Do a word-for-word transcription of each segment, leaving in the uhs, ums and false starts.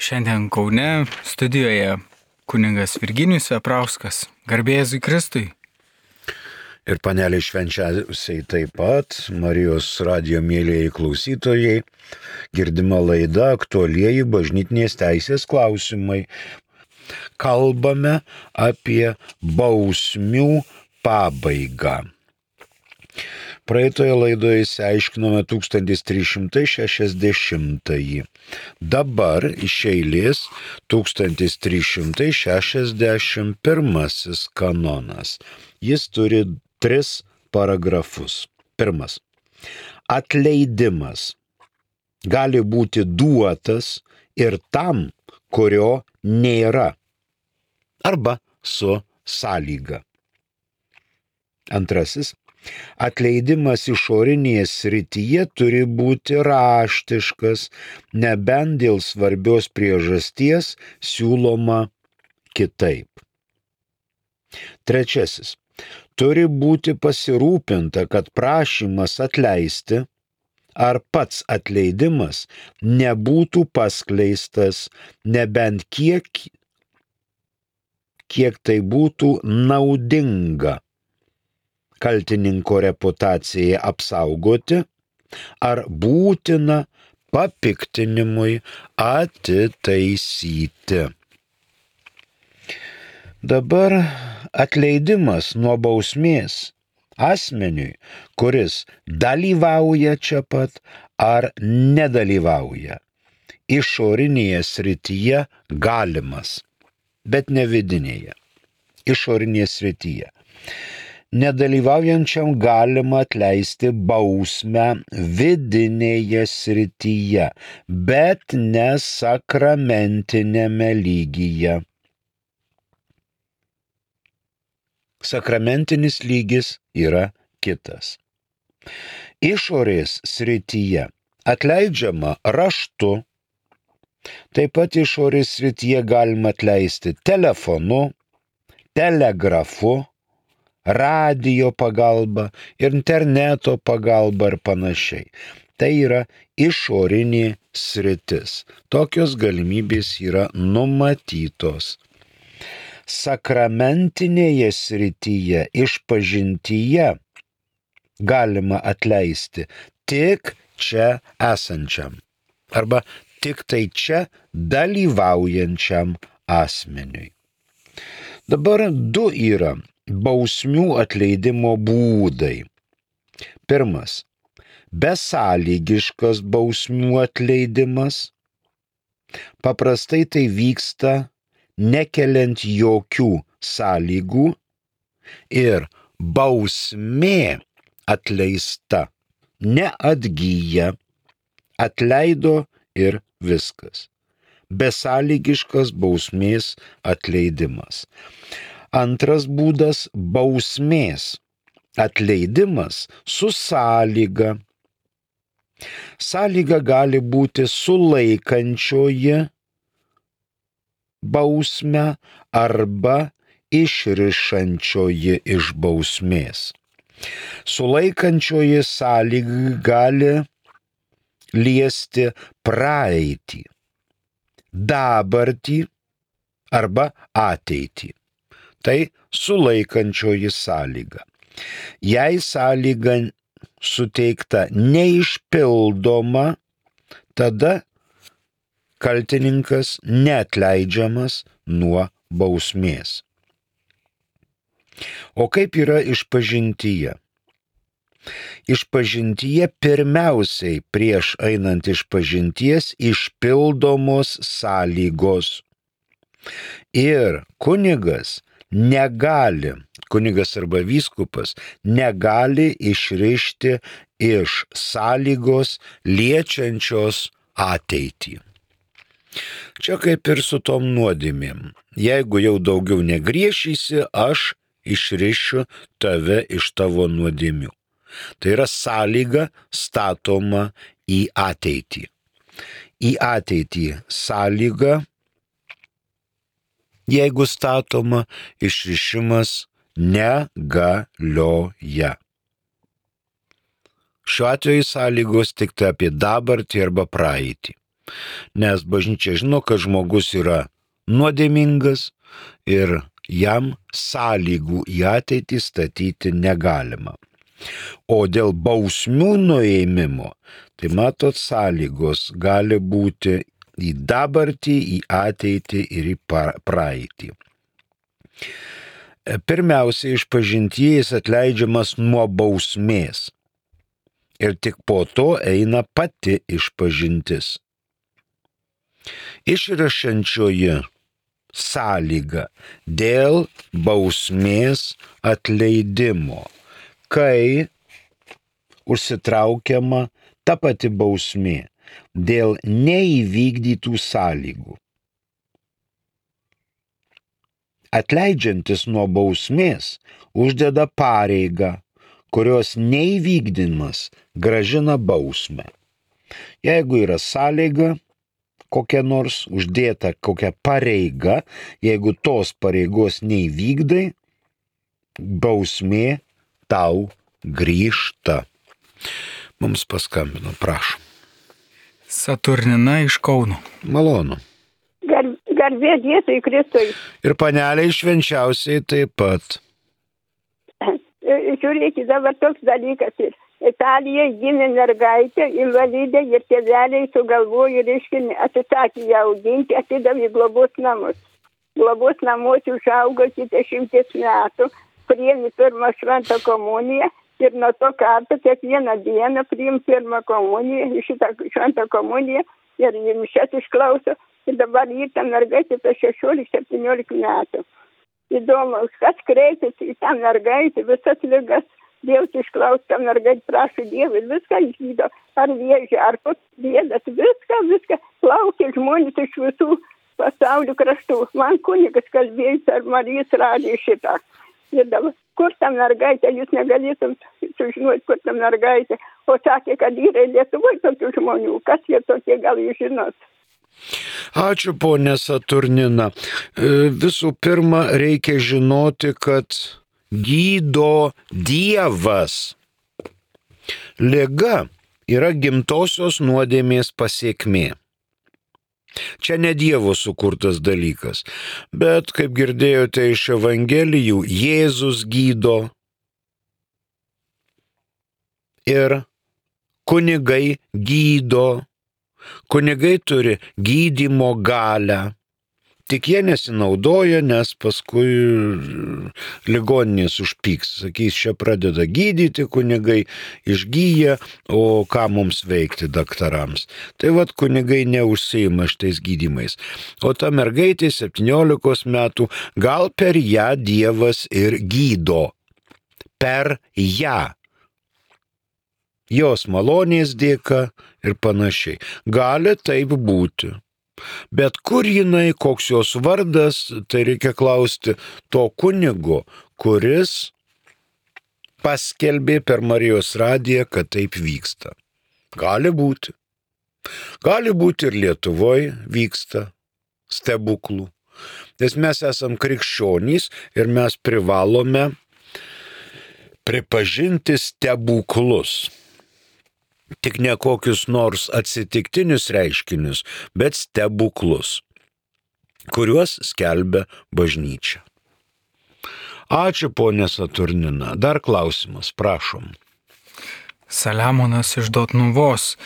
Šiandien Kaune studijoje kunigas Virginijus Veprauskas. Garbė Jėzui Kristui. Ir panelė švenčiausiai taip pat, Marijos radijo mėlyjei klausytojai, girdima laida aktualieji bažnytinės teisės klausimai. Kalbame apie bausmių pabaigą. Praeitoje laidoje išsiaiškinome tūkstantis trys šimtai šešiasdešimtąjį. Dabar iš eilės tūkstantis trys šimtai šešiasdešimt pirmasis kanonas. Jis turi tris paragrafus. Pirmas. Atleidimas gali būti duotas ir tam, kurio nėra, arba su sąlyga. Antrasis. Atleidimas išorinėje srityje turi būti raštiškas, nebent dėl svarbios priežasties siūloma kitaip. Trečiasis. Turi būti pasirūpinta, kad prašymas atleisti ar pats atleidimas nebūtų paskleistas, nebent kiek, kiek tai būtų naudinga kaltininko reputacijai apsaugoti ar būtina papiktinimui atitaisyti. Dabar atleidimas nuo bausmės asmeniui, kuris dalyvauja čia pat ar nedalyvauja, išorinėje srityje galimas, bet ne vidinėje, išorinėje srityje. Nedalyvaujančiam galima atleisti bausmę vidinėje srityje, bet ne sakramentinėme lygyje. Sakramentinis lygis yra kitas. Išorės srityje atleidžiama raštu, taip pat išorės srityje galima atleisti telefonu, telegrafu, radijo pagalba, interneto pagalba ir panašiai. Tai yra išorinė sritis. Tokios galimybės yra numatytos. Sakramentinėje srityje, išpažintyje galima atleisti tik čia esančiam arba tik tai čia dalyvaujančiam asmeniui. Dabar du yra bausmių atleidimo būdai. Pirmas. Besąlygiškas bausmių atleidimas. Paprastai tai vyksta nekeliant jokių sąlygų ir bausmė atleista, neatgyja, atleido ir viskas. Besąlygiškas bausmės atleidimas. Antras būdas – bausmės atleidimas su sąlyga. Sąlyga gali būti sulaikančioji bausmę arba išrišančioji iš bausmės. Sulaikančioji sąlyga gali liesti praeitį, dabartį arba ateitį. Tai sulaikančioji sąlyga. Jei sąlyga suteikta neišpildoma, tada kaltininkas neatleidžiamas nuo bausmės. O kaip yra išpažintyje? Išpažintyje pirmiausiai prieš einant išpažinties išpildomos sąlygos. Ir kunigas negali, kunigas arba vyskupas negali išrišti iš sąlygos liečiančios ateitį. Čia kaip ir su tom nuodėmėm. Jeigu jau daugiau negriežysi, aš išrišiu tave iš tavo nuodėmių. Tai yra sąlyga statoma į ateitį. Į ateitį sąlyga, jeigu statoma, išrišimas negalioja. Šiuo atveju sąlygos tik tai apie dabartį arba praeitį. Nes bažnyčia žino, kad žmogus yra nuodėmingas ir jam sąlygų į ateitį statyti negalima. O dėl bausmių nuėmimo, tai matot, sąlygos gali būti į dabartį, į ateitį ir į praeitį. Pirmiausia, išpažintieji atleidžiamas nuo bausmės ir tik po to eina pati išpažintis. Išrašančioji sąlyga dėl bausmės atleidimo, kai užsitraukiama ta pati bausmė dėl neįvykdytų sąlygų. Atleidžiantis nuo bausmės uždeda pareigą, kurios neįvykdymas gražina bausmę. Jeigu yra sąlyga, kokia nors uždėta kokia pareiga, jeigu tos pareigos neįvykdai, bausmė tau grįžta. Mums paskambino, prašom. Saturnina iš Kauno. Malonu. Gar, garbė Jėzui Kristui. Ir paneliai švenčiausiai taip pat. Žiūrėkit, dabar toks dalykas ir Italijoje gimė mergaitė, invalidė ir tėveliai sugalvojo, reiškia, atsisakė ją auginti, atidavė globos namus. Globos namuose užaugo iki dešimties metų, priėmė pirmą šventą komuniją ir nuo to karto kiekvieną dieną priim pirmą komuniją, šitą šventą komuniją ir mišias išklauso. Ir dabar jį ta mergaitė apie šešiolika septyniolika metų. Įdomu, kas kreipėsi į tą mergaitę, visas ligas. Dievas išklaus tą mergaitę, prašo Dievą, viską išgydo, ar vėžį, ar bėdas, viską, viską. Laukia žmonės iš visų pasaulio kraštų. Man kunigas kalbėjo per Marijos radiją šitą. Ir dabar, kur ta mergaitė, jūs negalėtum sužinoti, kur ta mergaitė. O sakė, kad yra Lietuvoje tokių žmonių. Kas jie tokie, gal jūs žinot? Ačiū, ponė Saturnina. Visų pirma, reikia žinoti, kad gydo Dievas. Liga yra gimtosios nuodėmės pasekmė. Čia ne Dievo sukurtas dalykas, bet, kaip girdėjote iš Evangelijų, Jėzus gydo ir kunigai gydo. Kunigai turi gydymo galią. Tik jie nesinaudoja, nes paskui ligoninės užpyks. Sakys, čia pradeda gydyti kunigai, išgyja, o ką mums veikti daktarams. Tai vat kunigai neužsiima šitais gydymais. O ta mergaitė septyniolikos metų, gal per ją Dievas ir gydo. Per ją. Jos malonės dėka ir panašiai. Gali taip būti. Bet kur jinai, koks jos vardas, tai reikia klausti to kunigo, kuris paskelbė per Marijos radiją, kad taip vyksta. Gali būti. Gali būti ir Lietuvoje vyksta stebuklų. Nes mes esam krikščionys ir mes privalome pripažinti stebuklus. Tik ne kokius nors atsitiktinius reiškinius, bet stebuklus, kuriuos skelbia bažnyčia. Ačiū, ponė Saturnina. Dar klausimas, prašom. Saliamonas iš Dotnuvos.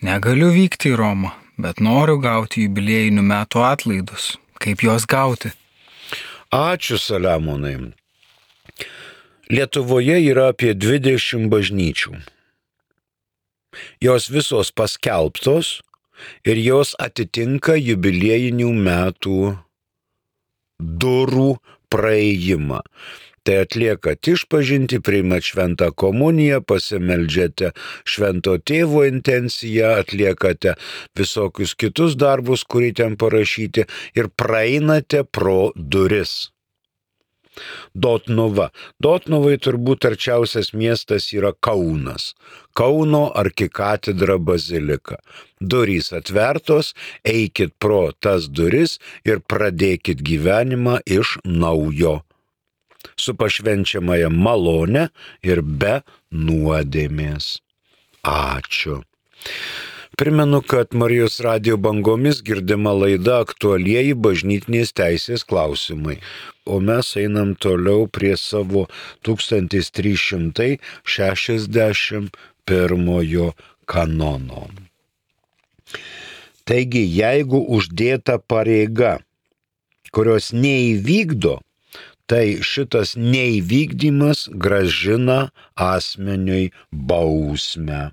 Negaliu vykti į Romą, bet noriu gauti jubiliejinių metų atlaidus. Kaip juos gauti? Ačiū, Saliamonai. Lietuvoje yra apie dvidešimt bažnyčių. Jos visos paskelbtos ir jos atitinka jubiliejinių metų durų praėjimą. Tai atliekat išpažintį, priimat šventą komuniją, pasimeldžiate švento tėvo intenciją, atliekate visokius kitus darbus, kurį ten parašyti ir praeinate pro duris. Dotnuva. Dotnuvai turbūt arčiausias miestas yra Kaunas. Kauno arkikatedra bazilika. Durys atvertos, eikit pro tas duris ir pradėkit gyvenimą iš naujo. Su pašvenčiamąją malonę ir be nuodėmės. Ačiū. Primenu, kad Marijos radijo bangomis girdima laida aktualieji bažnytinės teisės klausimai, o mes einam toliau prie savo tūkstantis trys šimtai šešiasdešimt pirmojo kanono. Taigi, jeigu uždėta pareiga, kurios neįvykdo, tai šitas neįvykdymas grąžina asmeniui bausmę.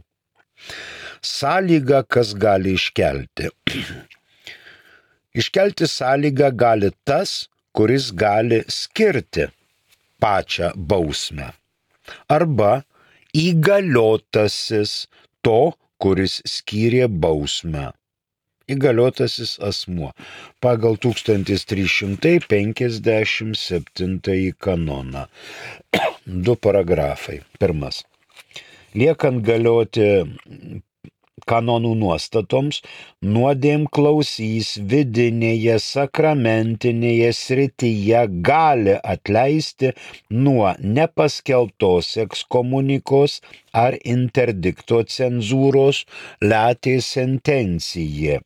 Sąlyga, kas gali iškelti. Iškelti sąlygą gali tas, kuris gali skirti pačią bausmę. Arba įgaliotasis to, kuris skyrė bausmę. Įgaliotasis asmuo pagal tūkstantis trys šimtai penkiasdešimt septintąjį kanoną. Du paragrafai. Pirmas. Liekant galioti kanonų nuostatoms, nuodėmklausys vidinėje sakramentinėje srityje gali atleisti nuo nepaskelbtos ekskomunikos ar interdikto cenzūros latė sentencija.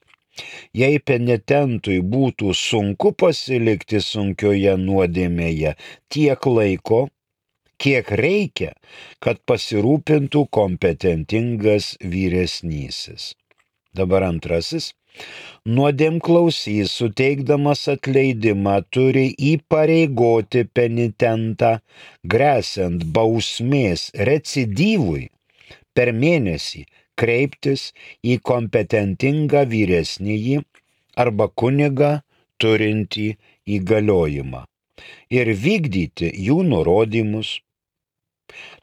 Jei penitentui būtų sunku pasilikti sunkioje nuodėmėje tiek laiko, kiek reikia, kad pasirūpintų kompetentingas vyresnysis. Dabar antrasis. Nuodėmklausys, suteikdamas atleidimą, turi įpareigoti penitentą, gresiant bausmės recidyvui, per mėnesį kreiptis į kompetentingą vyresnįjį arba kunigą turintį įgaliojimą ir vykdyti jų nurodymus.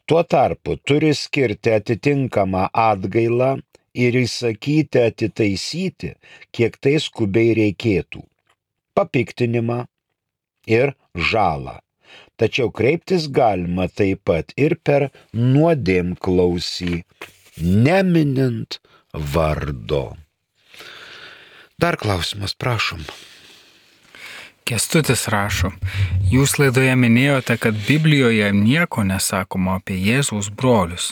Tuo tarpu turi skirti atitinkamą atgailą ir įsakyti atitaisyti, kiek tai skubiai reikėtų, papiktinimą ir žalą. Tačiau kreiptis galima taip pat ir per nuodėmklausį, neminint vardo. Dar klausimas, prašom. Kęstutis rašo, jūs laidoje minėjote, kad Biblijoje nieko nesakoma apie Jėzaus brolius,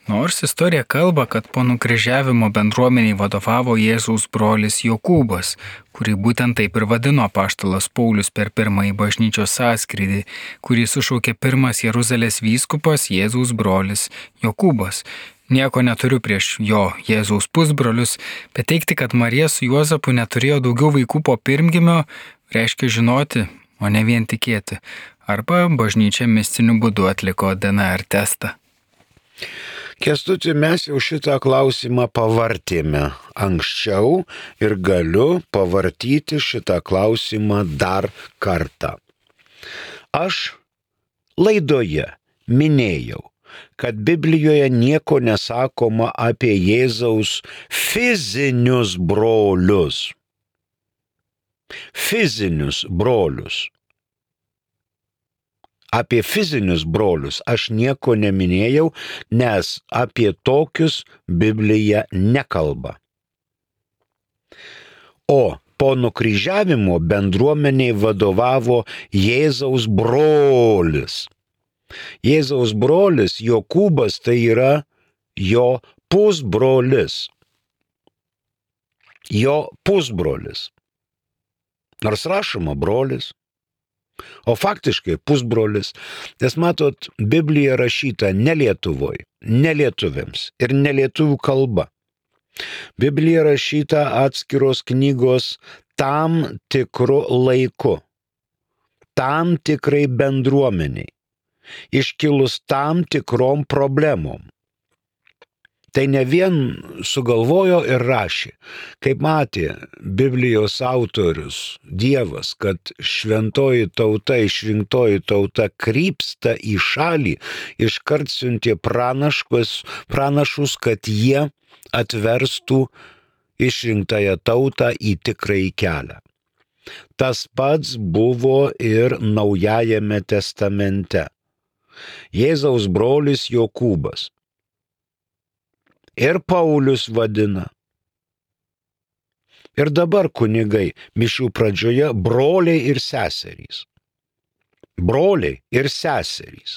nors istorija kalba, kad po nukryžiavimo bendruomeniai vadovavo Jėzaus brolis Jokūbas, kurį būtent taip ir vadino apaštalas Paulius per pirmąjį bažnyčios sąskrydį, kurį sušaukė pirmas Jeruzalės vyskupas Jėzaus brolis Jokūbas. Nieko neturiu prieš jo Jėzaus pusbrolius, bet teigti, kad Marija su Juozapu neturėjo daugiau vaikų po pirmgimio, reiškia žinoti, o ne vien tikėti. Arba bažnyčia mistiniu būdu atliko D N R testą. Kęstuti, mes jau šitą klausimą pavartėme anksčiau ir galiu pavartyti šitą klausimą dar kartą. Aš laidoje minėjau, kad Biblijoje nieko nesakoma apie Jėzaus fizinius brolius. Fizinius brolius. Apie fizinius brolius aš nieko neminėjau, nes apie tokius Biblija nekalba. O po nukryžiavimo bendruomeniai vadovavo Jėzaus brolis. Jėzaus brolis Jokūbas tai yra jo pusbrolis. Jo pusbrolis. Nors rašoma brolis, o faktiškai pusbrolis, nes matot, Biblija rašyta ne Lietuvoj, ne lietuviams ir ne lietuvių kalba. Biblija rašyta atskiros knygos tam tikru laiku, tam tikrai bendruomeniai, iškilus tam tikrom problemom. Tai ne vien sugalvojo ir rašė, kaip matė Biblijos autorius Dievas, kad šventoji tauta, išrinktoji tauta krypsta į šalį, iškart siuntė pranaškus, pranašus, kad jie atverstų išrinktąją tautą į tikrąjį kelią. Tas pats buvo ir Naujajame testamente. Jėzaus brolis Jokūbas. Ir Paulius vadina. Ir dabar kunigai mišių pradžioje broliai ir seserys. Broliai ir seserys.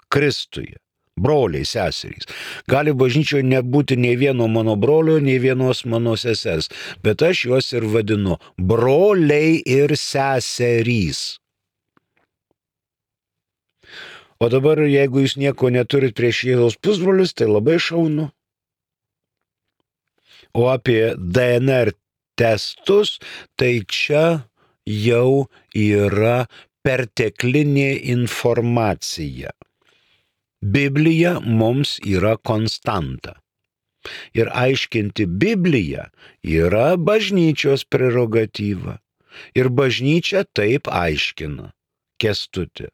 Kristuje. broliai, seserys. Gali bažnyčioje nebūti nei vieno mano brolio, nei vienos mano sesers, bet aš juos ir vadinu broliai ir seserys. O dabar, jeigu jūs nieko neturit prieš Jėzaus pusbrolius, tai labai šaunu. O apie D N R testus, tai čia jau yra perteklinė informacija. Biblija mums yra konstanta. Ir aiškinti Bibliją yra bažnyčios prerogatyva. Ir bažnyčia taip aiškina. Kęstuti.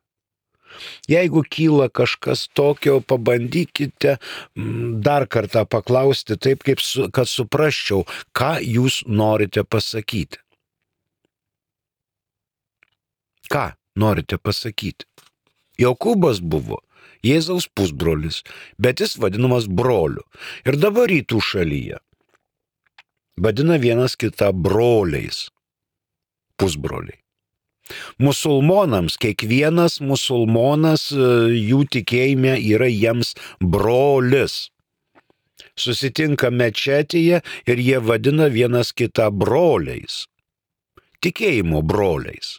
Jeigu kyla kažkas tokio, pabandykite dar kartą paklausti taip, kaip su, kad suprasčiau, ką jūs norite pasakyti. Ką norite pasakyti? Jokūbas buvo Jėzaus pusbrolis, bet jis vadinamas broliu. Ir dabar rytų šalyje vadina vienas kitą broliais, pusbroliai. Musulmonams, kiekvienas musulmonas jų tikėjime yra jiems brolis. Susitinka mečetėje ir jie vadina vienas kitą broliais. Tikėjimo broliais.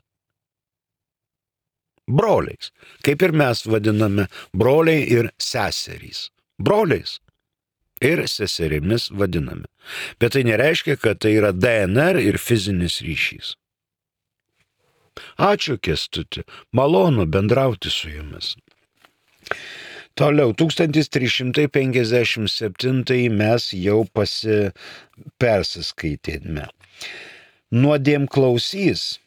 Broliais. Kaip ir mes vadiname broliai ir seserys. Broliais ir seserimis vadiname. Bet tai nereiškia, kad tai yra D N R ir fizinis ryšys. Ačiū, Kęstuti, malonu bendrauti su jumis. Toliau, tūkstantis trys šimtai penkiasdešimt septintais mes jau pasi, persiskaitėme. Nuodėmklausys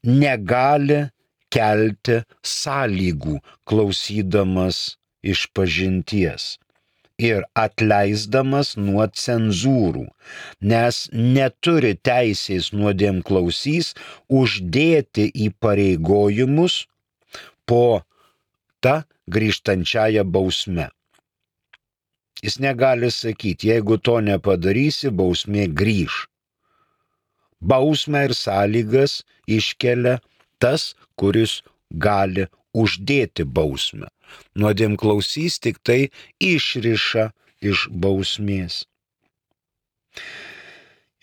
negali kelti sąlygų klausydamas išpažinties ir atleisdamas nuo cenzūrų, nes neturi teisės nuodėmklausys uždėti įpareigojimus po tą grįžtančiąją bausmę. Jis negali sakyti, jeigu to nepadarysi, bausmė grįž. Bausmę ir sąlygas iškelia tas, kuris gali uždėti bausmę. Nuodėmklausys tik tai išriša iš bausmės.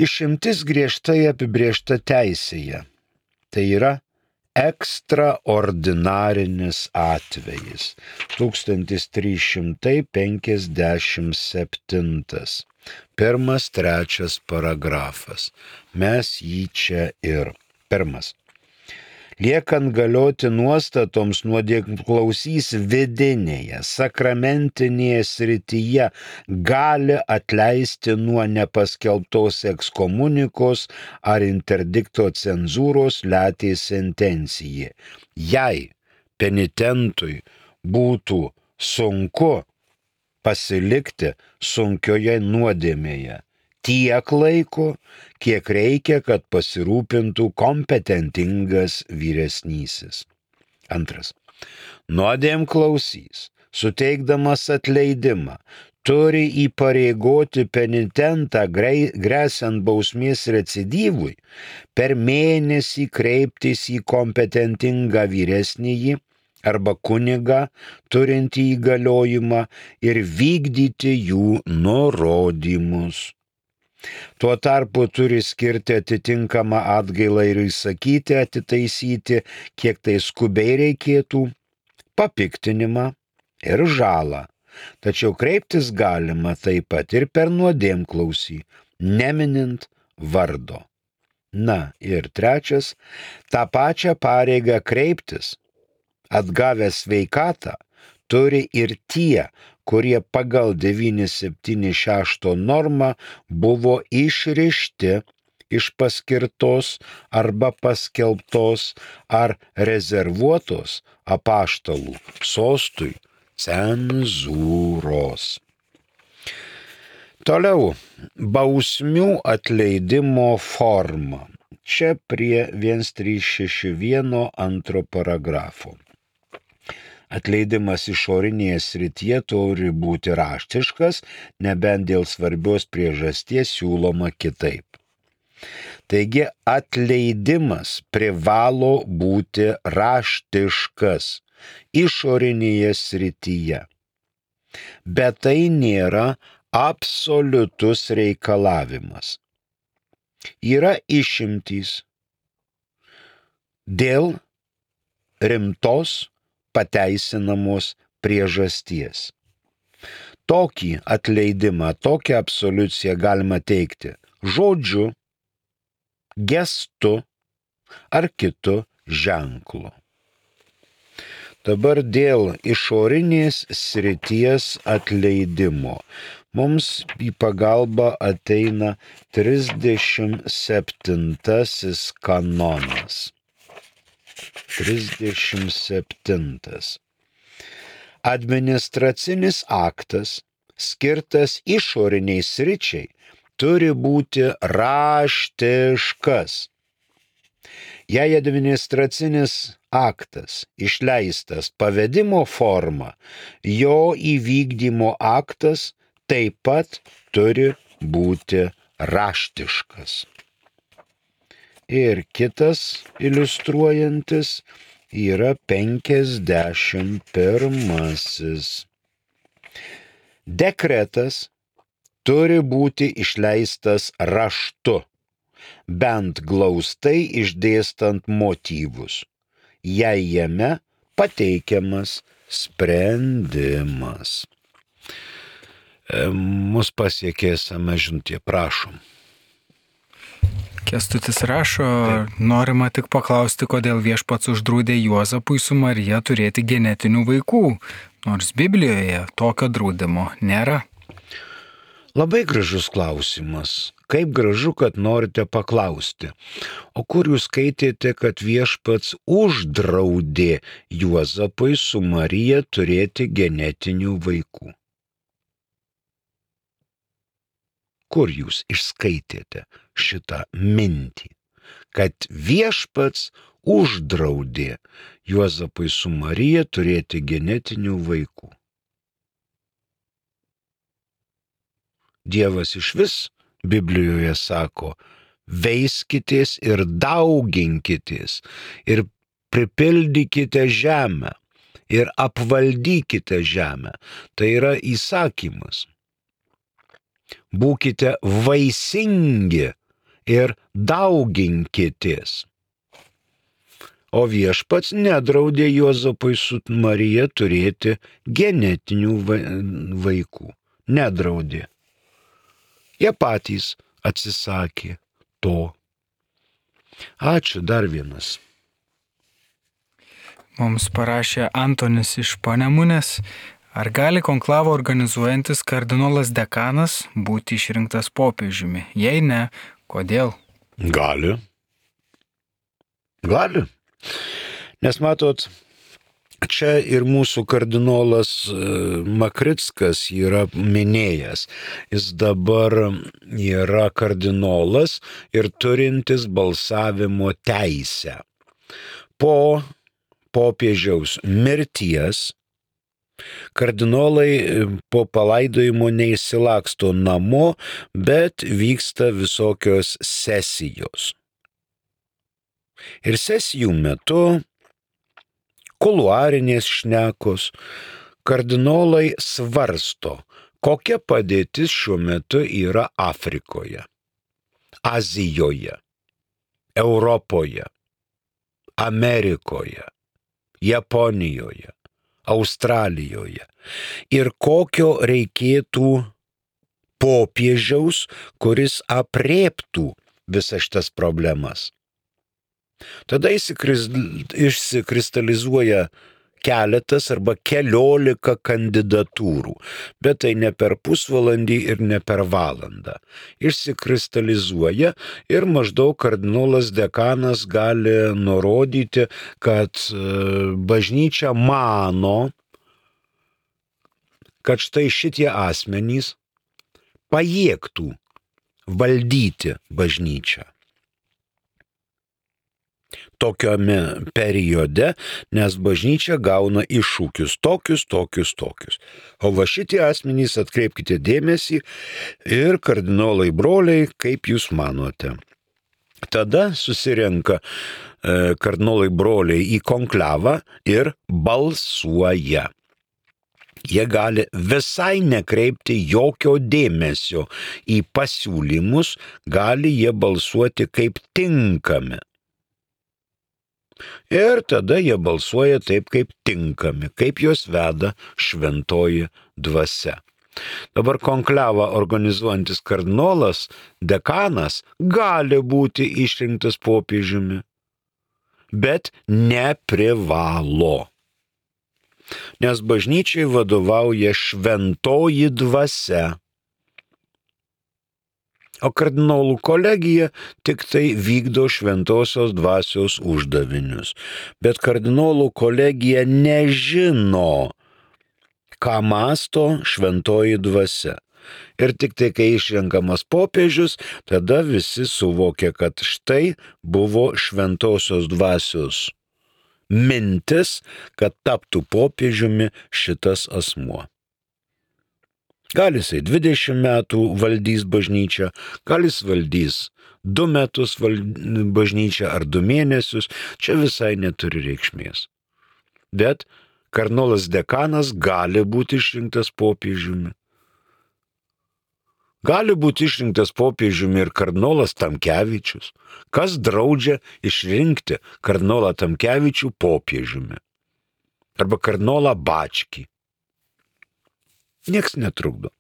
Išimtis griežtai apibrėžta teisėje. Tai yra ekstraordinarinis atvejis. tūkstantis trys šimtai penkiasdešimt septintas. Pirmas, trečias paragrafas. Mes jį čia ir. Pirmas. Liekant galioti nuostatoms nuodėmklausys vidinėje, sakramentinėje srityje gali atleisti nuo nepaskelbtos ekskomunikos ar interdikto cenzūros letės sentencijai. Jei penitentui būtų sunku pasilikti sunkioje nuodėmėje tiek laiko, kiek reikia, kad pasirūpintų kompetentingas vyresnysis. Antras. Nuodėmklausys, suteikdamas atleidimą, turi įpareigoti penitentą gresiant bausmės recidyvui per mėnesį kreiptis į kompetentingą vyresnįjį arba kunigą turintį įgaliojimą ir vykdyti jų nurodymus. Tuo tarpu turi skirti atitinkamą atgailą ir įsakyti, atitaisyti, kiek tai skubiai reikėtų, papiktinimą ir žalą. Tačiau kreiptis galima taip pat ir per nuodėmklausį, neminint vardo. Na ir trečias, tą pačią pareigą kreiptis, atgavęs sveikatą, turi ir tie, kurie pagal devyni septyni šeši normą buvo išrišti iš paskirtos arba paskelbtos ar rezervuotos apaštalų sostui cenzūros. Toliau, bausmių atleidimo forma. Čia prie vienas trys šeši vienas antro paragrafo. Atleidimas išorinėje srityje turi būti raštiškas, nebent dėl svarbios priežasties siūloma kitaip. Taigi atleidimas privalo būti raštiškas išorinėje srityje. Bet tai nėra absoliutus reikalavimas. Yra išimtys dėl rimtos pateisinamos priežasties. Tokį atleidimą, tokią absoliuciją galima teikti žodžiu, gestu ar kitu ženklu. Dabar dėl išorinės srities atleidimo mums į pagalbą ateina trisdešimt septintasis kanonas. trisdešimt septintas. Administracinis aktas, skirtas išoriniai sričiai, turi būti raštiškas. Jei administracinis aktas išleistas pavedimo forma, jo įvykdymo aktas taip pat turi būti raštiškas. Ir kitas iliustruojantis yra penkiasdešimt pirmasis. Dekretas turi būti išleistas raštu, bent glaustai išdėstant motyvus, jei jame pateikiamas sprendimas. E, mus pasiekė esame žinutė, prašom. Kęstutis rašo, norima tik paklausti, kodėl viešpats uždraudė Juozapui su Marija turėti genetinių vaikų, nors Biblijoje tokio draudimo nėra. Labai gražus klausimas. Kaip gražu, kad norite paklausti. O kur jūs skaitėte, kad viešpats uždraudė Juozapui su Marija turėti genetinių vaikų? Kur jūs išskaitėte šitą mintį, kad viešpats uždraudė Juozapui su Marija turėti genetinių vaikų? Dievas išvis Biblijoje sako, veiskitės ir dauginkitės ir pripildykite žemę ir apvaldykite žemę. Tai yra įsakymas. Būkite vaisingi ir dauginkitės. O viešpats nedraudė Juozapui su Marija turėti genetinių vaikų. Nedraudė. Jie patys atsisakė to. Ačiū, dar vienas. Mums parašė Antonis iš Panemunės. Ar gali konklavą organizuojantis kardinolas dekanas būti išrinktas popiežiumi? Jei ne, kodėl? Gali. Gali. Nes matot, čia ir mūsų kardinolas Makrickas yra minėjęs. Jis dabar yra kardinolas ir turintis balsavimo teisę. Po popiežiaus mirties kardinolai po palaidojimo neįsilaksto namo, bet vyksta visokios sesijos. Ir sesijų metu, kuluarinės šnekos, kardinolai svarsto, kokia padėtis šiuo metu yra Afrikoje, Azijoje, Europoje, Amerikoje, Japonijoje, Australijoje ir kokio reikėtų popiežiaus, kuris aprėptų visas šitas problemas. Tada išsikristalizuoja keletas arba keliolika kandidatūrų, bet tai ne per pusvalandį ir ne per valandą. Išsikristalizuoja ir maždaug kardinolas dekanas gali nurodyti, kad bažnyčia mano, kad štai šitie asmenys pajėgtų valdyti bažnyčią tokiame periode, nes bažnyčia gauna iššūkius tokius, tokius, tokius. O va šitie asmenys, atkreipkite dėmesį, ir kardinolai broliai, kaip jūs manote. Tada susirenka e, kardinolai broliai į konklavą ir balsuoja. Jie gali visai nekreipti jokio dėmesio į pasiūlymus, gali jie balsuoti kaip tinkami. Ir tada jie balsuoja taip, kaip tinkami, kaip juos veda šventoji dvasia. Dabar konklevą organizuojantis kardinolas, dekanas, gali būti išrinktas popiežiumi, bet neprivalo. Nes bažnyčiai vadovauja šventoji dvasia, o kardinolų kolegija tik tai vykdo šventosios dvasios uždavinius. Bet kardinolų kolegija nežino, ką mąsto šventoji dvasia. Ir tik tai, kai išrenkamas popiežius, tada visi suvokia, kad štai buvo šventosios dvasios mintis, kad taptų popiežiumi šitas asmuo. Gal jisai dvidešimt metų valdys bažnyčią, gal jis valdys du metus val... bažnyčią ar du mėnesius, čia visai neturi reikšmės. Bet kardinolas dekanas gali būti išrinktas popiežiumi. Gali būti išrinktas popiežiumi ir kardinolas Tamkevičius. Kas draudžia išrinkti kardinolą Tamkevičių popiežiumi? Arba kardinolą Bačkį. Nieks netrukdo.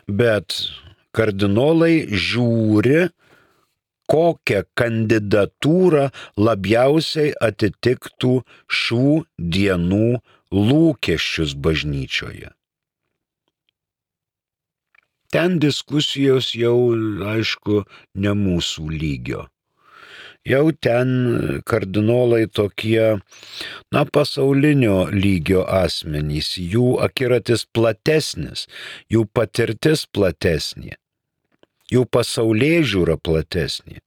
Bet kardinolai žiūri, kokią kandidatūrą labiausiai atitiktų šių dienų lūkesčius bažnyčioje. Ten diskusijos jau, aišku, ne mūsų lygio. Jau ten kardinolai tokie, na, pasaulinio lygio asmenys, jų akiratis platesnis, jų patirtis platesnė, jų pasaulėžiūra platesnė,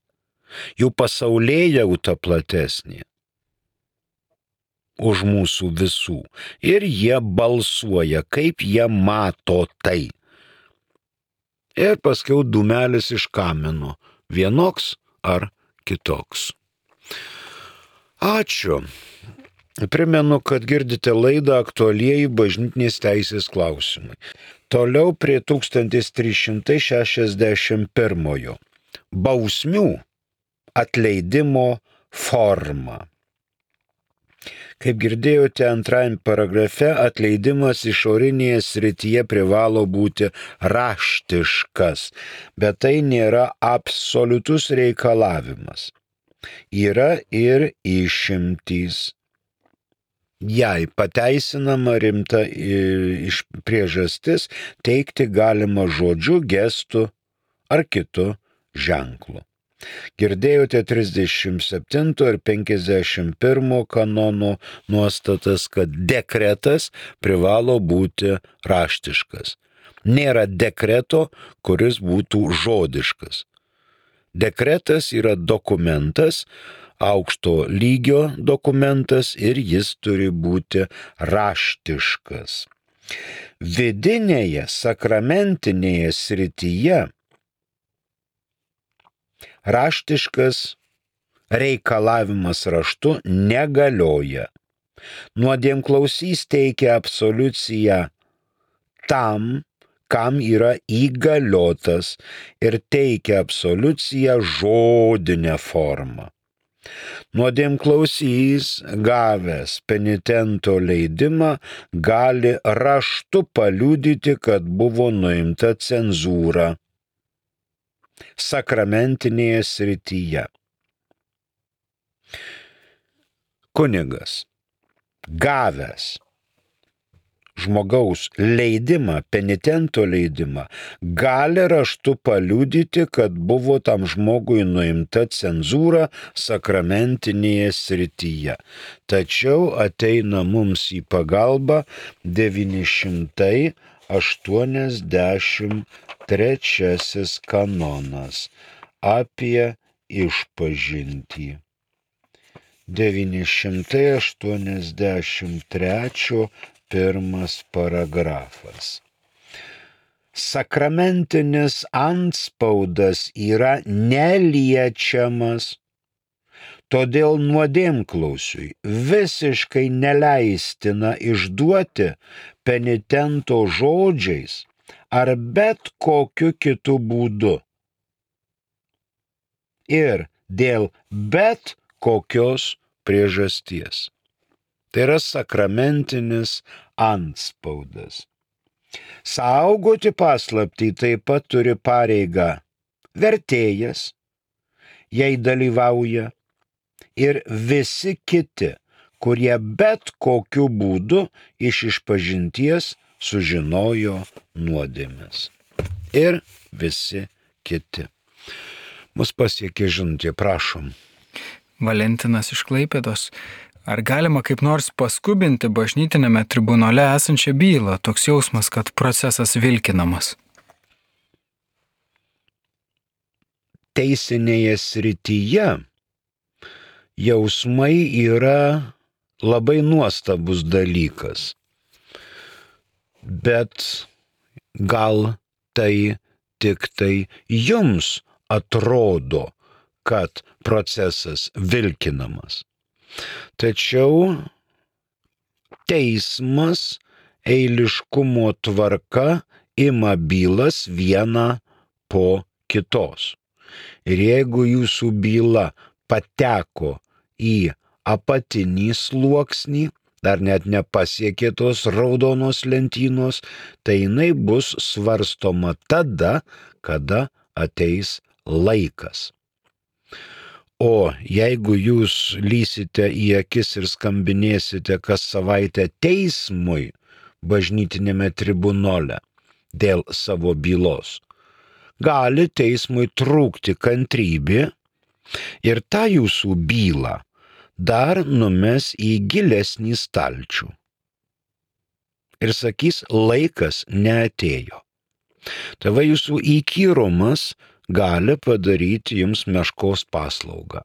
jų pasaulėjauta platesnė už mūsų visų. Ir jie balsuoja, kaip jie mato tai. Ir paskiau dūmelis iš kamino, vienoks ar kitoks. Ačiū. Primenu, kad girdite laidą Aktualieji bažnytinės teisės klausimai. Toliau prie tūkstantis trys šimtai šešiasdešimt pirmojo. Bausmių atleidimo forma. Kaip girdėjote antrajame paragrafe, atleidimas išorinėje srityje privalo būti raštiškas, bet tai nėra absoliutus reikalavimas. Yra ir išimtys. Jei pateisinama rimta iš priežastis, teikti galima žodžiu, gestu ar kitu ženklu. Girdėjote trisdešimt septinto ir penkiasdešimt pirmo kanono nuostatas, kad dekretas privalo būti raštiškas. Nėra dekreto, kuris būtų žodiškas. Dekretas yra dokumentas, aukšto lygio dokumentas ir jis turi būti raštiškas. Vidinėje sakramentinėje srityje raštiškas reikalavimas raštu negalioja. Nuodėmklausys teikia absoliuciją tam, kam yra įgaliotas ir teikia absoliuciją žodinę formą. Nuodėmklausys, gavęs penitento leidimą, gali raštu paliudyti, kad buvo nuimta cenzūra sakramentinėje srityje. Kunigas, gavęs žmogaus leidimą, penitento leidimą, gali raštu paliudyti, kad buvo tam žmogui nuimta cenzūra sakramentinėje srityje. Tačiau ateina mums į pagalbą devyni šimtai aštuoniasdešimt trečiasis kanonas apie išpažintį. devyni šimtai aštuoniasdešimt trečio pirmas paragrafas. Sakramentinis antspaudas yra neliečiamas Todėl nuodėmklausiui visiškai neleistina išduoti penitento žodžiais ar bet kokiu kitu būdu. Ir dėl bet kokios priežasties. Tai yra sakramentinis antspaudas. Saugoti paslaptį taip pat turi pareigą vertėjas, jei dalyvauja, ir visi kiti, kurie bet kokiu būdu iš išpažinties sužinojo nuodėmes. Ir visi kiti. Mus pasiekė žinutė, prašom. Valentinas iš Klaipėdos. Ar galima kaip nors paskubinti bažnytinėme tribunole esančią bylą? Toks jausmas, kad procesas vilkinamas. Teisinėje srityje jausmai yra labai nuostabus dalykas. Bet gal tai tik tai jums atrodo, kad procesas vilkinamas. Tačiau teismas eiliškumo tvarka ima bylas vieną po kitos. Ir jeigu jūsų byla pateko į apatinį sluoksnį, dar net nepasiekė tos raudonos lentynos, tai jinai bus svarstoma tada, kada ateis laikas. O jeigu jūs lysite į akis ir skambinėsite kas savaitę teismui bažnytinėme tribunole dėl savo bylos, gali teismui trūkti kantrybė ir tą jūsų bylą dar numes į gilesnį stalčių. Ir sakys, laikas neatėjo. Tai va jūsų įkyrumas gali padaryti jums meškos paslaugą.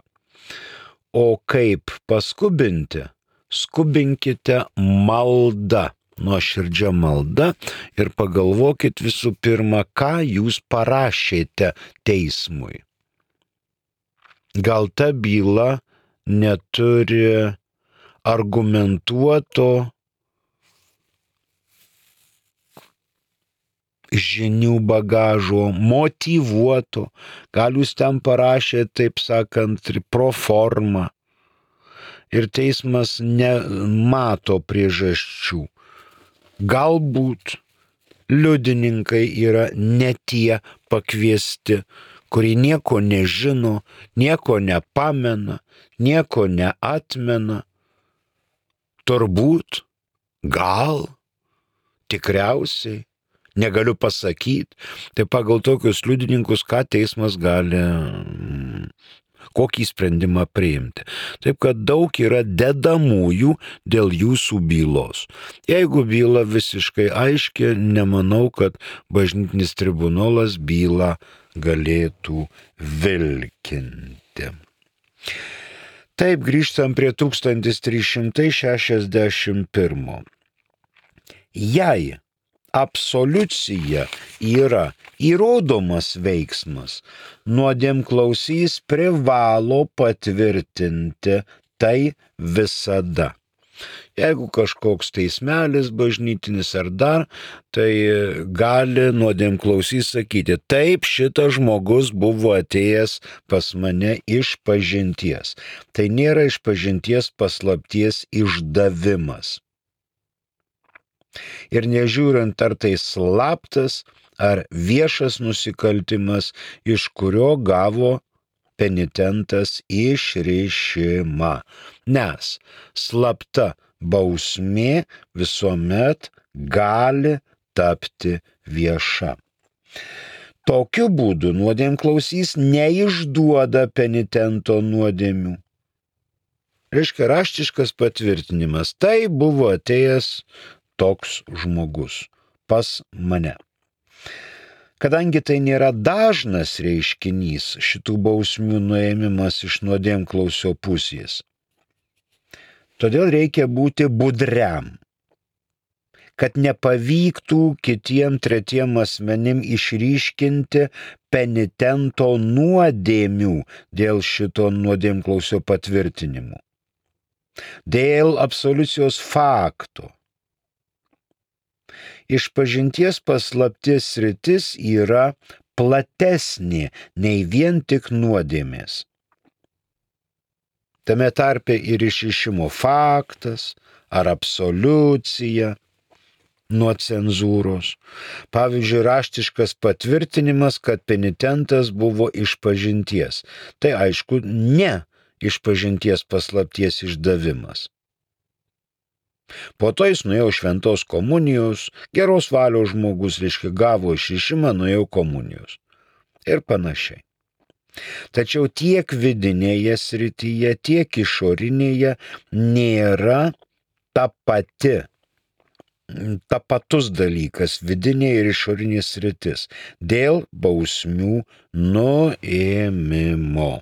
O kaip paskubinti? Skubinkite malda, nuoširdžia malda ir pagalvokit visų pirma, ką jūs parašėte teismui. Gal ta byla neturi argumentuoto žinių bagažo, motyvuoto, gal jūs ten parašė, taip sakant, pro formą. Ir teismas nemato priežasčių. Galbūt liudininkai yra ne tie pakviesti, kurie nieko nežino, nieko nepamena, nieko neatmena. Turbūt, gal, tikriausiai, negaliu pasakyti, tai pagal tokius liudininkus, ką teismas gali, kokį sprendimą priimti. Taip kad daug yra dedamųjų dėl jūsų bylos. Jeigu byla visiškai aiški, nemanau, kad bažnytinis tribunolas bylą galėtų vilkinti. Taip, grįžtam prie tūkstantis trys šimtai šešiasdešimt pirmo. Jei absoliucija yra įrodomas veiksmas, nuodėmklausys privalo patvirtinti tai visada. Jeigu kažkoks teismelis bažnytinis ar dar, tai gali nuodėmklausys sakyti, taip, šitas žmogus buvo atėjęs pas mane iš pažinties. Tai nėra iš pažinties paslapties išdavimas. Ir nežiūrint, ar tai slaptas, ar viešas nusikaltimas, iš kurio gavo penitentas išrišimą. Nes slapta bausmė visuomet gali tapti vieša. Tokiu būdu nuodėmklausys neišduoda penitento nuodėmių. Reiškia raštiškas patvirtinimas. Tai buvo atėjęs toks žmogus pas mane. Kadangi tai nėra dažnas reiškinys, šitų bausmių nuėmimas iš nuodėmklausio pusės, todėl reikia būti budriam. kad nepavyktų kitiem tretiem asmenim išryškinti penitento nuodėmių dėl šito nuodėmklausio patvirtinimo. Dėl absoliucijos fakto. Išpažinties paslapties sritis yra platesnė nei vien tik nuodėmės. Tame tarpe ir išrišimo faktas ar absoliucija nuo cenzūros. Pavyzdžiui, raštiškas patvirtinimas, kad penitentas buvo išpažinties. Tai aišku, ne išpažinties paslapties išdavimas. Po to jis nuėjo šventos komunijos, geros valios žmogus, reiškia, gavo išrišimą, nuėjo komunijos. Ir panašiai. Tačiau tiek vidinėje srityje, tiek išorinėje nėra ta pati, ta patus dalykas, vidinė ir išorinė sritis, dėl bausmių nuėmimo.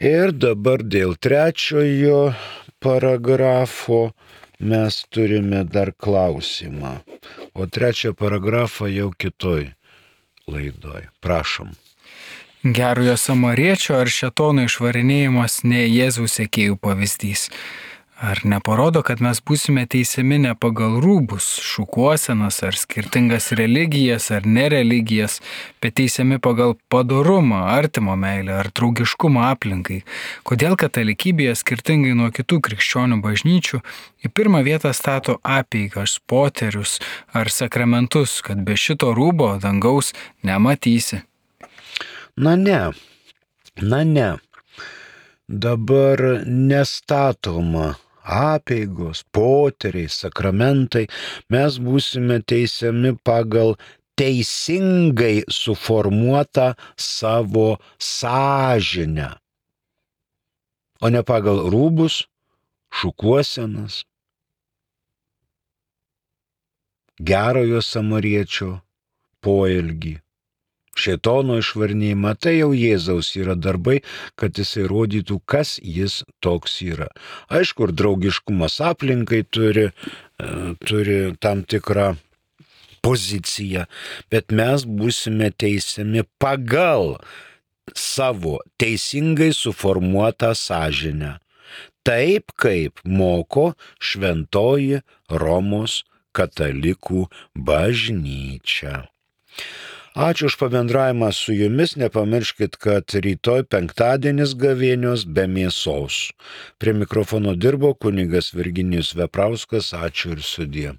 Ir dabar dėl trečiojo paragrafo mes turime dar klausimą. O trečią paragrafą jau kitoj laidoj. Prašom. Gerojo samariečio ar šėtono išvarinėjimas ne Jėzaus sekėjų pavyzdys. Ar neparodo, kad mes būsime teisiami ne pagal rūbus, šukuosenas ar skirtingas religijas ar nereligijas, bet teisiami pagal padorumą, artimo meilę ar draugiškumą aplinkai? Kodėl katalikybėje skirtingai nuo kitų krikščionių bažnyčių į pirmą vietą stato apeigas, poterius ar sakramentus, kad be šito rūbo dangaus nematysi? Na ne, na ne. Dabar nestatoma apeigos, poteriai, sakramentai. Mes būsime teisiami pagal teisingai suformuotą savo sąžinę, o ne pagal rūbus, šukuosenas, gerojo samariečio poelgį. Šėtono išvarinėjimą, tai jau Jėzaus yra darbai, kad jisai rodytų, kas jis toks yra. Aišku, ir draugiškumas aplinkai turi, turi tam tikrą poziciją, bet mes būsime teisiami pagal savo teisingai suformuotą sąžinę. Taip, kaip moko šventoji Romos katalikų bažnyčia. Ačiū už pabendravimą su jumis, nepamirškit, kad rytoj penktadienis gavėnios be mėsos. Prie mikrofono dirbo kunigas Virginijus Veprauskas, ačiū ir sudie.